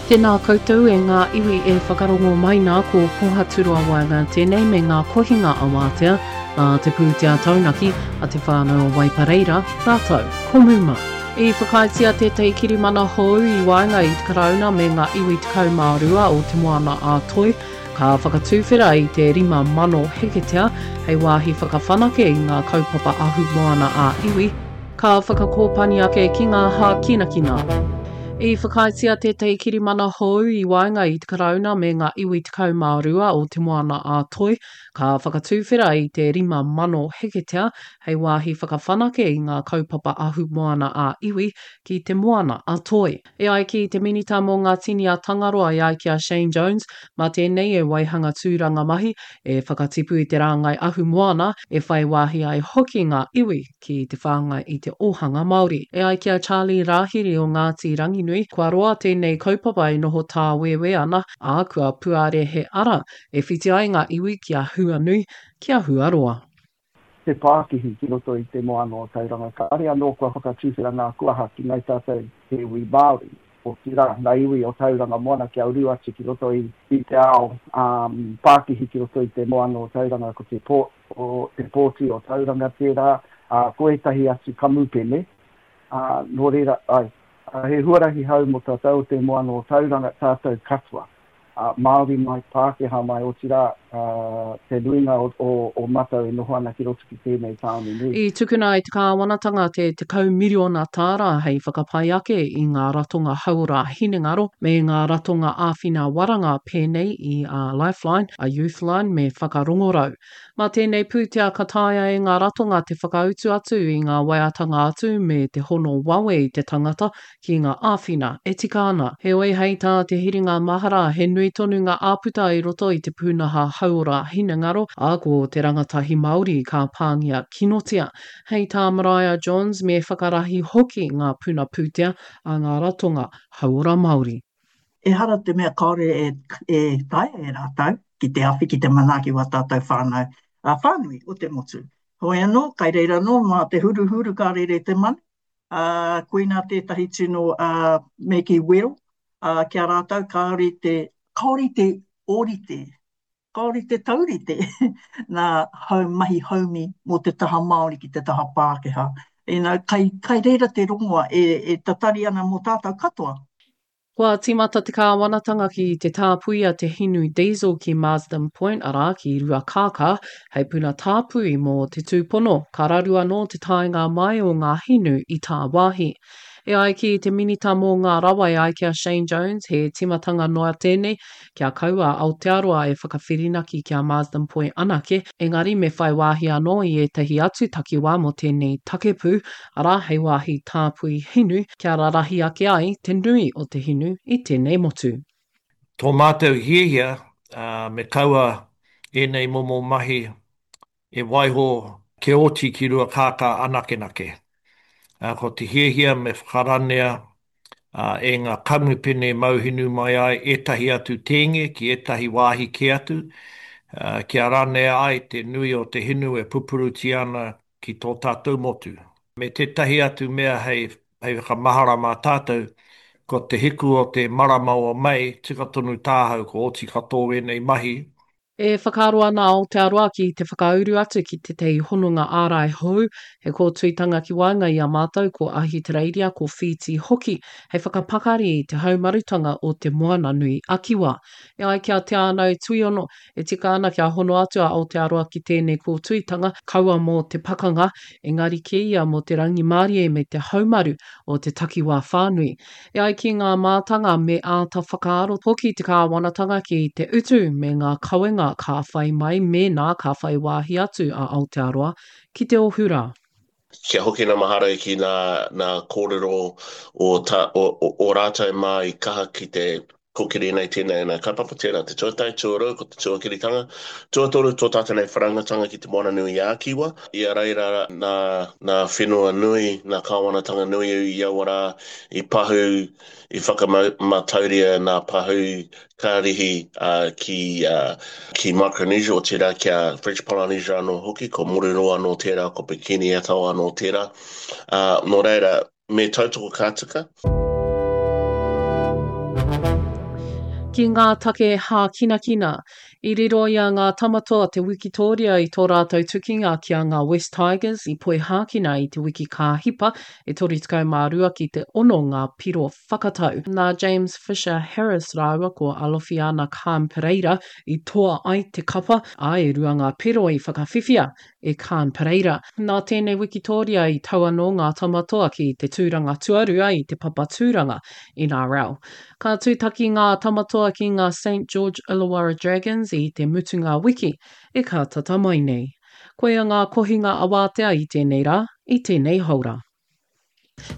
Tēnā koutou e ngā iwi e whakarongo mai nā ko Pohaturoa Waenga tēnei me ngā kohinga awātea nā te pūtea taunaki a te whānau o Waipareira rātou ko Muma. I whakaaetia tētahi kirimana hou i waenga i te Karauna me ngā iwi 12 o Te Moana-a-Toi, ka whakatuwhera i te 5,000 heketea hei wāhi whakawhanake i ngā kaupapa ahumoana ā-iwi, ka whakakōpani ake ki ngā hākinakina. I whakaaetia tētahi kirimana hou i waenga i te Karauna me ngā iwi 12 o Te Moana-a-Toi, ka whakatuwhera i te 5,000 heketea hei wāhi whakawhanake i ngā kaupapa ahumoana ā-iwi ki Te Moana a Toi. E ai ki te Minita mō ngā Tini a Tangaroa e ai ki a Shane Jones, mā tēnei e waihanga tūranga mahi, e whakatipu i te rāngai ahumoana, e whai wāhi ai hoki ngā iwi ki te whāngai i te ōhanga Māori. E ai ki a Charlie Rāhiri o Ngāti Ranginui, kua roa tēnei kaupapa e noho tāwēwē ana, ā, kua puare he ara e whiti ai ngā iwi ki a Huanui, ki a Huaroa. Te pākihi ki roto i te moana o Tauranga. Kāre anō kua whakatuwhera ngā kuaha ki ngai tātou te iwi Māori, otirā, ngā iwi o Tauranga Moana kia uru atu ki roto i te ao pākihi ki roto i te moana o Tauranga, ko te port, o te pōti o Tauranga tērā, ā, ko ētahi atu kamupene, ā, nō reira, āe, he huarahi hou mō tātou o te moana o Tauranga, tātou katoa. Māori mai, Pākehā mai, otirā, te nuinga o matou e noho ana ki roto ki tēnei tāone nui. I tukuna e te kāwanatanga te 10 miriona tāra hei whakapai ake i ngā ratonga hauora hinengaro me ngā ratonga āwhina waranga pēnei i a Lifeline, a Youthline me Whakarongorau. Mā tēnei pūtea ka taea e ngā ratonga te whakautu atu i ngā waeatanga atu me te hono wawe i te tangata ki ngā āwhina e tika ana. Heoi, hei tā Te Hiringa Mahara, he nui tonu ngā āputa i roto i te pūnaha hauora hinengaro, ā, ko te rangatahi Māori ka pāngia kinotia. Hei tā Maraea Johns, me whakarahi hoki ngā puna pūtea a ngā ratonga hauora Māori. Ehara te mea kāore e taea e rātou ki te awhi, ki te manaaki wā tātou whānau whānui o te motu. Hoi anō, kai reira anō mā te huruhuru ka rere te manu, ā, koinā tētahi tino, ā, me kī wero, ā, ki a rātou kāore te, kāore te ōrite, kāore te taurite nā hau mahi haumi mō te taha Māori ki te taha Pākehā. You know, kai, kai reira te rongoa e, e tatari ana mō tātou katoa. Kua tīmata te kāwanatanga ki te tāpuia te hinu diesel ki Marsden Point, arā, ki Ruakākā, hei puna tāpui mō te tūpono ka raru anō te taenga mai o ngā hinu i tāwāhi. E ai ki te Minita mō ngā Rawa e ai ki a Shane Jones, he tīmatanga noa tēnei kia kaua a Aotearoa e whakawhirinaki ki a Marsden Point anake, engari me whai wāhi anō i ētahi atu takiwā mō tēnei takepū, arā, hei wāhi tāpui hinu, kia rarahi ake ai te nui o te hinu i tēnei motu. Tō mātou hiahia, me kaua ēnei momo mahi e waiho kia oti ki Ruakākā anakenake. Ko te hiahia me whakaranea e ngā kamupene mauhinu mai ai ētahi atu tēnge ki ētahi wāhi kē atu, kia ranea ai te nui o te hinu e pupurutia ana ki tō tātou motu. Me tētahi atu mea hei hei whakamahara mā tātou, ko te hiku o te marama o Mei, tika tonu tāhau kua oti katoa ēnei mahi. E whakaaro ana a Aotearoa ki te whakauru atu ki tētahi hononga ārai hou, he kōtuitanga ki waenga i a mātou ko Ahitereiria, ko Whītī hoki, hei whakapakari i te haumarutanga o Te Moananui a Kiwa. E ai ki a Te Ānau Tuiono, E tika ana kia hono atu a Aotearoa ki tēnei kōtuitanga, kaua mō te pakanga, engari kē ia mō te rangimārie me te haumaru o te takiwā whānui. E ai ki ngā mātanga me āta whakaaro hoki te kāwanatanga ki te utu me ngā kawenga ka whai mai mēnā ka whai wāhi atu a Aotearoa ki te ohu rā. Kia hoki na mahara ki na na kōrero o ta o o rātou mā i kaha ki te kōkiri nei tēnei ana kaupapa, tērā te tuatahi, tuarua ko te tuakiritanga, tuatoru tō tātou nei whanaungatanga ki Te Moana-nui-ā-Kiwa. I a reira nā nā whenua nui, nā kāwanatanga nui i aua rā i pahū, i whakamatauria nā pahū karihi ki ki Micronesia, otirā ki a French Polynesia anō hoki, ko Moruroa anō tērā, ko Bikini Atoll anō tērā. Nō reira, me tautoko ka tika. Ki ngā take hākinakina, i riro i a Ngā Tamatoa te wikitōria i tō rātou tukinga ki a Ngā West Tigers i Poihākena i te wiki ka hipa, e 32 ki te ono ngā piro whakatau. Nā James Fisher Harris rāua ko Alofiana Khan Pereira i toa ai te kapa, ā, e rua ngā piro i whakawhiwhia e Khan Pereira. Nā tēnei wikitōria i tau anō ngā Tamatoa ki te tūranga tuarua i te papa tūranga NRL. Ka tūtaki ngā Tamatoa ki ngā Saint George Illawarra Dragons i te mutunga wiki e ka tata mai nei. Koia ngā kohinga awātea i tēnei rā, i tēnei haora.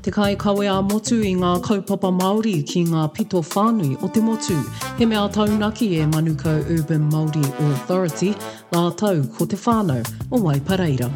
Te kaikawe ā-motu i ngā kaupapa Māori ki ngā pito whānui o te motu. He mea taunaki e Manukau Urban Māori Authority rātou ko te whānau o Waipareira.